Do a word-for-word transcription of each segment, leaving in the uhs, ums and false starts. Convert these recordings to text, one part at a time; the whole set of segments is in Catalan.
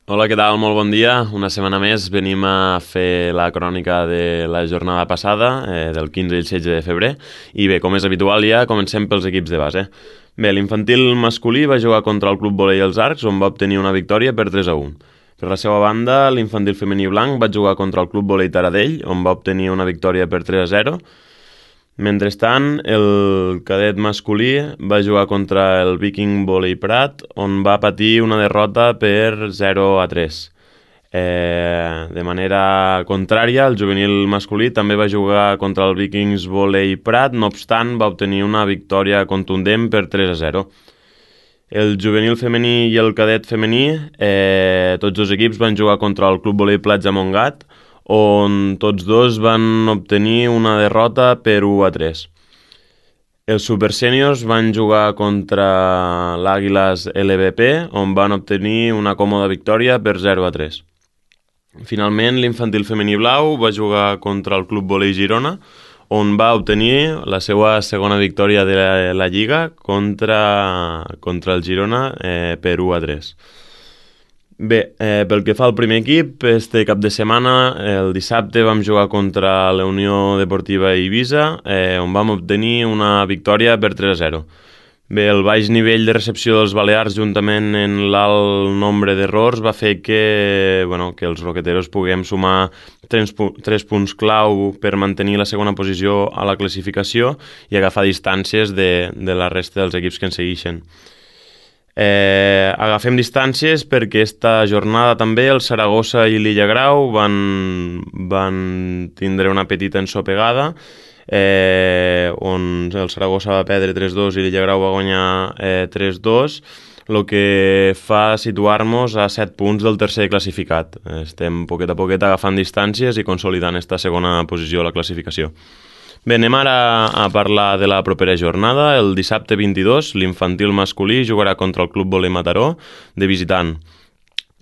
Hola, què tal? Molt bon dia. Una setmana més venim a fer la crònica de la jornada passada, eh, del quinze i el setze de febrer. I bé, com és habitual ja, comencem pels equips de base. Bé, l'infantil masculí va jugar contra el Club Volei Els Arcs, on va obtenir una victòria per tres a un. Per la seva banda, l'infantil femení blanc va jugar contra el Club Volei Taradell, on va obtenir una victòria per tres a zero. Mentrestant, el cadet masculí va jugar contra el Viking Volley Prat, on va patir una derrota per zero a tres. Eh, de manera contrària, el juvenil masculí també va jugar contra el Vikings Volley Prat, no obstant va obtenir una victòria contundent per tres a zero. El juvenil femení i el cadet femení, eh, tots dos equips van jugar contra el Club Volley Platja Montgat, on tots dos van obtenir una derrota per u a tres. Els supersèniors van jugar contra l'Àguiles L V P, on van obtenir una còmoda victòria per zero a tres. Finalment, l'infantil femení blau va jugar contra el Club Volei Girona, on va obtenir la seva segona victòria de la, la Lliga contra, contra el Girona eh, per u a tres. Bé, eh, pel que fa al primer equip, este cap de setmana, el dissabte, vam jugar contra la Unió Deportiva Eivissa, eh, on vam obtenir una victòria per tres a zero. Bé, el baix nivell de recepció dels Balears, juntament en l'alt nombre d'errors, va fer que, bueno, que els roqueteros puguem sumar tres, tres punts clau per mantenir la segona posició a la classificació i agafar distàncies de, de la resta dels equips que ens segueixen. Eh, agafem distàncies perquè esta jornada també el Saragossa i l'Illa Grau van, van tindre una petita ensopegada, eh, on el Saragossa va perdre tres dos i l'Illa Grau va guanyar eh, tres dos, el que fa situar-nos a set punts del tercer classificat. Estem poquet a poquet agafant distàncies i consolidant esta segona posició a la classificació. Bé, anem ara a parlar de la propera jornada. El dissabte vint-i-dos, l'infantil masculí jugarà contra el Club Volei Mataró de visitant.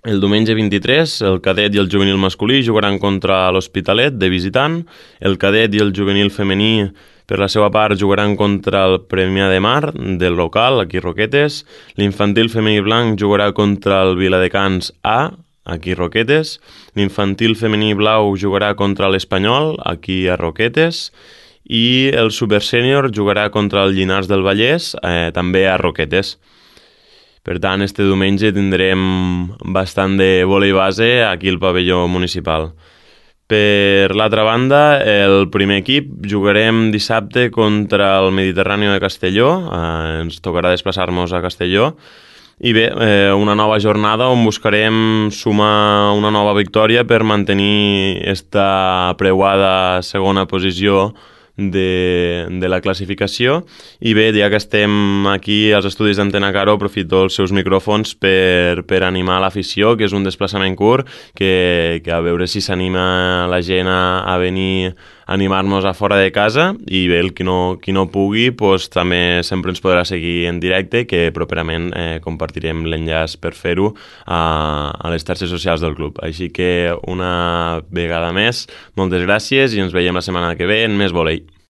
El diumenge vint-i-tres, el cadet i el juvenil masculí jugaran contra l'Hospitalet de visitant. El cadet i el juvenil femení, per la seva part, jugaran contra el Premià de Mar del local, aquí Roquetes. L'infantil femení blanc jugarà contra el Viladecans A, aquí Roquetes. L'infantil femení blau jugarà contra l'Espanyol, aquí a Roquetes. I el supersènior jugarà contra el Llinars del Vallès, eh, també a Roquetes. Per tant, este diumenge tindrem bastant de vòlei base aquí al pavelló municipal. Per l'altra banda, el primer equip jugarem dissabte contra el Mediterrani de Castelló, eh, ens tocarà desplaçar-nos a Castelló, i bé, eh, una nova jornada on buscarem sumar una nova victòria per mantenir esta preuada segona posició de, de la classificació. I bé, ja que estem aquí als estudis d'Antena Caro, aprofito els seus micròfons per, per animar l'afició, que és un desplaçament curt, que, que a veure si s'anima la gent a, a venir a animar-nos a fora de casa, i bé, el qui no, qui no pugui, pues, també sempre ens podrà seguir en directe, que properament eh, compartirem l'enllaç per fer-ho a, a les xarxes socials del club. Així que una vegada més, moltes gràcies i ens veiem la setmana que ve en més volei.